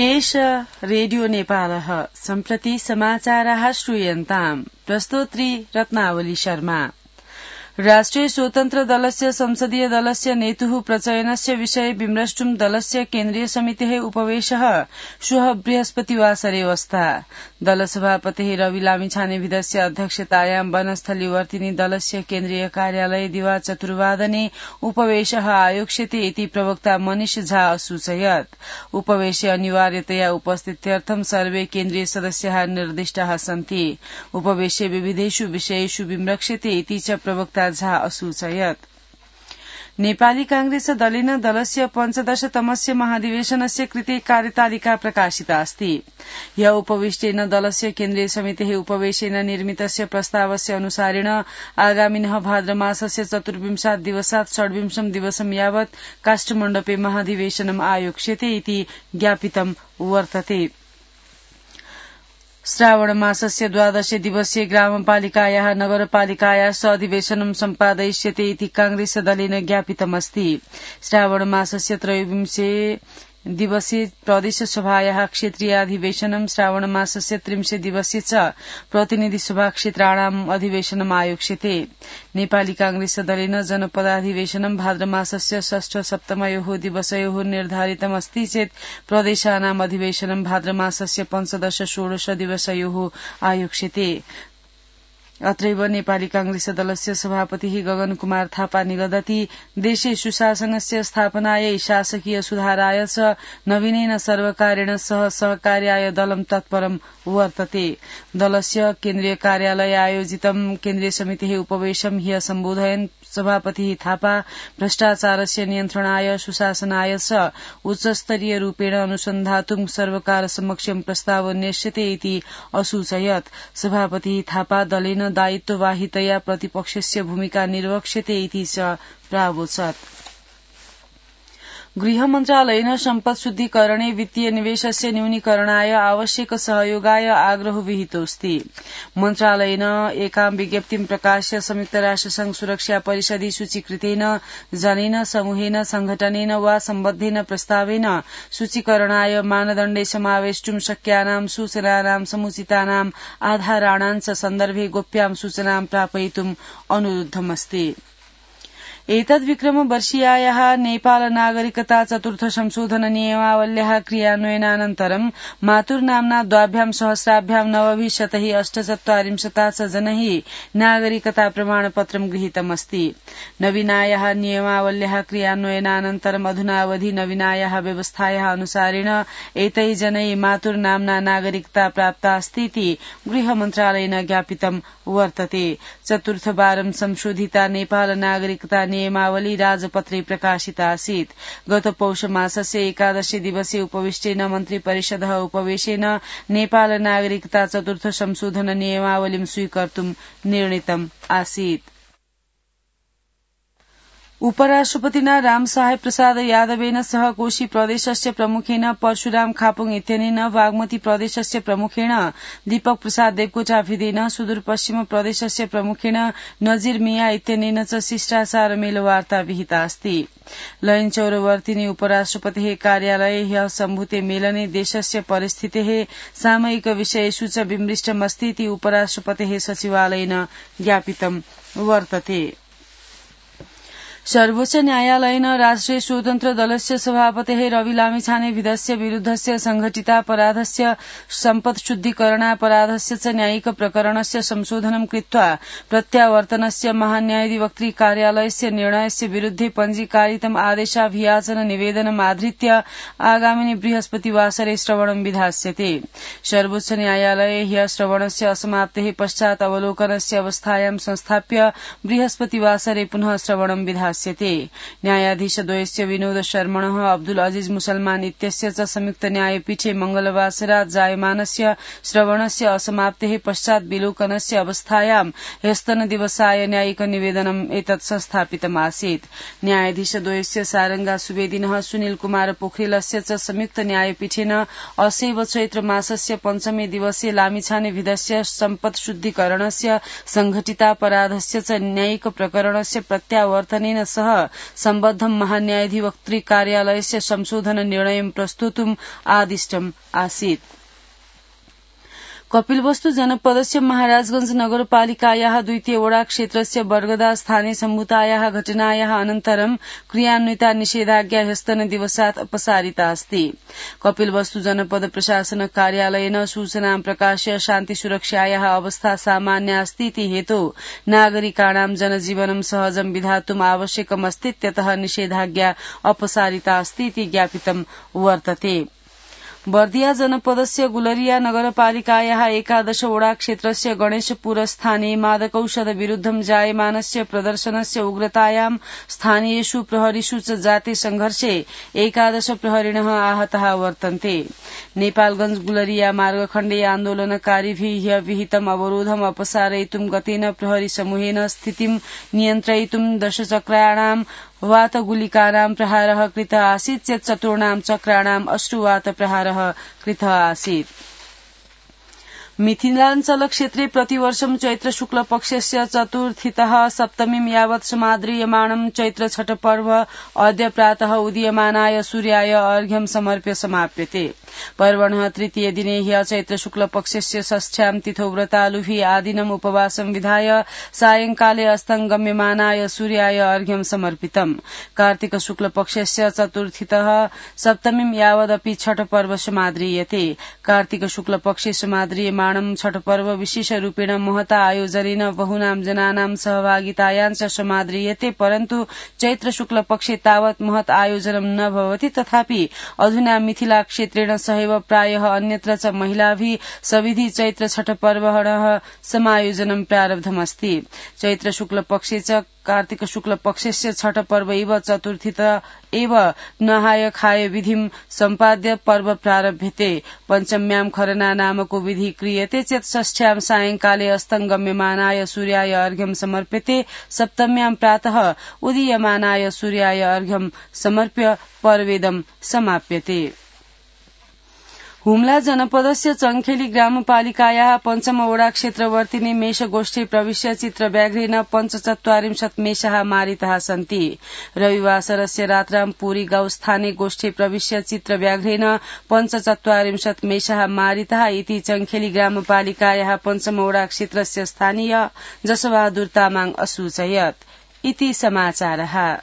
एष रेडियो नेपालः सम्प्रति समाचाराः श्रूयन्ताम् प्रस्तोत्री रत्नावली शर्मा। राष्ट्रिय स्वतन्त्र दलस्य संसदीय दलस्य नेतुः प्रचयनस्य विषये विमृष्टुं दलस्य केन्द्रीय समितेः उपवेशः श्वः बृहस्पतिवासरे अवस्था। दलसभापतिः रवि लामिछानेविधस्य अध्यक्षतायां वनस्थलीवर्तिनी दलस्य केन्द्रीय कार्यालये दिवा 4:15 उपवेशः आयोक्ष्यते इति प्रवक्ता मनीष झा असूचयत्। उपवेशे अनिवार्यतया उपस्थित्यर्थं सर्वे केन्द्रीय सदस्याः निर्दिष्टाः सन्ति। उपवेशे विविधेषु विषयेषु विमृक्ष्यते इति च प्रवक्ता झा असूचयत्। नेपाली कांग्रेस दलेन दलस्य 15तमस्य महाधिवेशनस्य कृते कार्यतालिका प्रकाशिता अस्ति। ह्य उपविष्टेन दलस्य केन्द्रीय समितेः उपवेशेन निर्मितस्य प्रस्तावस्य अनुसारेण आगामिनः भाद्रमासस्य 24 दिवसात् 26 दिवसं यावत् काष्ठमण्डपे महाधिवेशनम् आयोक्ष्यते इति ज्ञापितं वर्तते। श्रावण मासस्य 12 दिवसीय ग्रामपालिकायाः नगरपालिकायाः अधिवेशनं सम्पादयिष्यते इति कांग्रेस दलेन ज्ञापितमस्ति। श्रावण मासस्य 23 दिवसीय प्रदेशसभायाः क्षेत्रीयाधिवेशनं श्रावण मासस्य 30 दिवसीय च प्रतिनिधिसभा क्षेत्राणाम् अधिवेशनम् आयोक्ष्यते। नेपाली कांग्रेस दलेन जनपदाधिवेशनं भाद्रमासस्य 6-7 दिवसयोः निर्धारितमस्ति चेत् प्रदेशानाम् अधिवेशनं भाद्रमासस्य 15-16 दिवसयोः आयोक्ष्यते। अत्रैव नेपाली कांग्रेस दलस्य सभापतिः गगन कुमार थापा निगदति देशे सुशासनस्य स्थापनायै शासकीय सुधाराय च नवीनेन सर्वकारेण सह सहकार्याय दलं तत्परं वर्तते। दलस्य केन्द्रीय कार्यालये आयोजितं केन्द्रीय समितेः उपवेशं ह्य सम्बोधयन् सभापतिः थापा भ्रष्टाचारस्य नियन्त्रणाय सुशासनाय च उच्चस्तरीय रूपेण अनुसन्धातुं सर्वकार समक्षं प्रस्ताव नेष्यते इति असूचयत्। सभापतिः थापा दलेन दायित्ववाहितया प्रतिपक्षस्य भूमिका निर्वक्ष्यते इति च प्रावोचत्। गृह मन्त्रालयेन सम्पद शुद्धिकरणे वित्तीय निवेशस्य न्यूनीकरणाय आवश्यक सहयोगाय आग्रहो विहितोऽस्ति। मन्त्रालयेन एकां विज्ञप्तिं प्रकाश्य संयुक्त राष्ट्रसंघ सुरक्षा परिषदि सूचीकृतेन जनेन समूहेन संघटनेन वा सम्बद्धेन प्रस्तावेन सूचीकरणाय मानदण्डे समावेष्टुं शक्यानां सूचनानां समुचितानाम् आधाराणां च सन्दर्भे गोप्यां सूचनां प्रापयितुम् अनुरुद्धमस्ति। एतद्विक्रमवर्षीयायाः नेपाल नागरिकता चतुर्थ संशोधन नियमावल्याः क्रियान्वयनानन्तरं मातुर्नाम्ना 2 सहस्राभ्यां 948 जनैः नागरिकता प्रमाणपत्रं गृहीतमस्ति। नवीनायाः नियमावल्याः क्रियान्वयनानन्तरं अधुनावधि नवीनायाः व्यवस्थायाः अनुसारेण एतैः जनैः मातुर्नाम्ना नागरिकता प्राप्ता अस्ति इति गृह मन्त्रालयेन ज्ञापितं वर्तते। चतुर्थवारं संशोधिता नेपाल नागरिकता नियमावली राजपत्रे प्रकाशिता आसीत्। गत पौष मासस्य 11 दिवसीय उपविष्टेन मन्त्री परिषदः उपवेशेन नेपाल नागरिकता चतुर्थ संशोधन नियमावलीं स्वीकर्तुं निर्णीतम् आसीत्। उपराष्ट्रपतिना रामसाहेब प्रसाद यादवेन सह कोशी प्रदेशस्य प्रमुखेन परशुराम खापुङ इत्यनेन बागमती प्रदेशस्य प्रमुखेन दीपक प्रसाद देवकोटाभिदेन सुदूरपश्चिम प्रदेशस्य प्रमुखेन नजीर मिया इत्यनेन च शिष्टाचार मेलवार्ता विहिता अस्ति। लयनचौरवर्तिनी उपराष्ट्रपतेः कार्यालये ह्यः सम्भूते मेलने देशस्य परिस्थितेः सामयिक विषयेषु च विमृष्टमस्ति इति उपराष्ट्रपतेः सचिवालयेन ज्ञापितं वर्तते। सर्वोच्च न्यायालयेन राष्ट्रिय स्वतन्त्र दलस्य सभापतेः रवि लामिछानेविधस्य विरुद्धस्य संघटितापराधस्य सम्पद शुद्धिकरणापराधस्य च न्यायिक प्रकरणस्य संशोधनं कृत्वा प्रत्यावर्तनस्य महान्यायाधिवक्त्री कार्यालयस्य निर्णयस्य विरुद्धे पञ्जीकारितम् आदेशाभियाचन निवेदनम् आधृत्य आगामिनि बृहस्पतिवासरे श्रवणं विधास्यते। सर्वोच्च न्यायालये ह्यः श्रवणस्य असमाप्तेः पश्चात् अवलोकनस्य अवस्थायां संस्थाप्य बृहस्पतिवासरे पुनः श्रवणं विधास्यते। न्यायाधीशद्वयस्य विनोद शर्मणः अब्दुल अजीज मुसलमान इत्यस्य च संयुक्त न्यायपीठे मंगलवासरात् जायमानस्य श्रवणस्य असमाप्तेः पश्चात् विलोकनस्य अवस्थायां ह्यस्तनदिवसाय न्यायिक निवेदनम् एतत् संस्थापितम् आसीत्। न्यायाधीशद्वयस्य सारंगा सुवेदिनः सुनील कुमार पोखरेलस्य च संयुक्त न्यायपीठेन असैव चैत्र मासस्य 5 दिवसीय लामिछाने विधस्य सम्पद शुद्धिकरणस्य संघटितापराधस्य च न्यायिक प्रकरणस्य प्रत्यावर्तनेन तेन सह सम्बद्धं महान्यायाधिवक्तृ कार्यालयस्य संशोधन निर्णयं प्रस्तोतुम् आदिष्टम् आसीत्। कपिलवस्तु जनपदस्य महाराजगंज नगरपालिकायाः द्वितीय वडा क्षेत्रस्य बर्गदा स्थानीय सम्भूतायाः घटनायाः अनन्तरं क्रियान्विता निषेधाज्ञा ह्यस्तनदिवसात् अपसारिता अस्ति। कपिलवस्तु जनपद प्रशासन कार्यालयेन सूचनां प्रकाश्य शान्तिसुरक्षायाः अवस्था सामान्या अस्ति इति हेतौ नागरिकाणां जनजीवनं सहजं विधातुम् आवश्यकमस्तीत्यतः निषेधाज्ञा अपसारिता अस्ति इति ज्ञापितं वर्तते। बर्दिया जनपदस्य गुलरिया नगरपालिकायाः 11 वडा क्षेत्रस्य गणेशपुर स्थाने मादकौषध विरुद्धं जायमानस्य प्रदर्शनस्य उग्रतायां स्थानीयेषु प्रहरीषु च जाते संघर्षे 11 प्रहरिणः आहताः वर्तन्ते। नेपालगंज गुलरिया मार्गखण्डे आन्दोलनकारीभिः विहितम् अवरोधम् अपसारयितुं गतेन प्रहरी समूहेन स्थितिं नियन्त्रयितुं 10 चक्राणां वातगुलिकानां प्रहारः कृतः आसीत् चेत् 4 चक्राणाम् अश्रुवात प्रहारः कृतः आसीत्। मिथिलाञ्चल क्षेत्रे प्रतिवर्षं चैत्र शुक्ल पक्षस्य चतुर्थीतः सप्तमीं यावत् समाद्रियमाणं चैत्र छठ पर्व अद्य प्रातः उदीयमानाय सूर्याय अर्घ्यं समर्प्य समाप्यते। पर्वणः तृतीय दिने ह्य चैत्र शुक्ल पक्षस्य षष्ठ्यां तिथौ व्रतालुभिः आदिनम् उपवासं विधाय सायंकाले अस्तङ्गम्यमानाय सूर्याय अर्घ्यं समर्पितम्। कार्तिक शुक्ल पक्षस्य चतुर्थीतः सप्तमीं यावदपि छठ पर्व समाद्रियते। कार्तिक शुक्ल पक्षे समाद्रियमाणं छठ पर्व विशेष रूपेण महता आयोजनेन बहुनां जनानां सहभागितायां च समाद्रियते, परन्तु चैत्र शुक्ल पक्षे तावत् महत् आयोजनं न भवति। तथापि अधुना मिथिला क्षेत्रेण सहैव प्रायः अन्यत्र च महिलाभिः सविधि चैत्र छठ पर्वणः समायोजनं प्रारब्धमस्ति। चैत्र शुक्ल पक्षे च कार्तिक शुक्ल पक्षस्य छठ पर्व इव चतुर्थीत एव नहाय खाय विधिं सम्पाद्य पर्व प्रारभ्यते। पञ्चम्यां खरना नामको विधि क्रियते चेत् षष्ठ्यां सायंकाले अस्तङ्गम्यमानाय सूर्याय अर्घ्यं समर्प्यते। सप्तम्यां प्रातः उदीयमानाय सूर्याय अर्घ्यं समर्प्य पर्वेदं समाप्यते। हुम्ला जनपदस्य चङ्खेली ग्रामपालिकायाः पञ्चम वडा क्षेत्रवर्तिनि मेषगोष्ठी प्रविश्य चित्रव्याघ्रेण 45 मेषाः मारिताः सन्ति। रविवासरस्य रात्रां पुरी गाउँ स्थाने गोष्ठी प्रविश्य चित्रव्याघ्रेण 45 मेषाः मारिताः इति चङ्खेली ग्रामपालिकायाः पञ्चम वडा क्षेत्रस्य स्थानीय जसबहादुर तामाङ असूचयत्। इति समाचारः।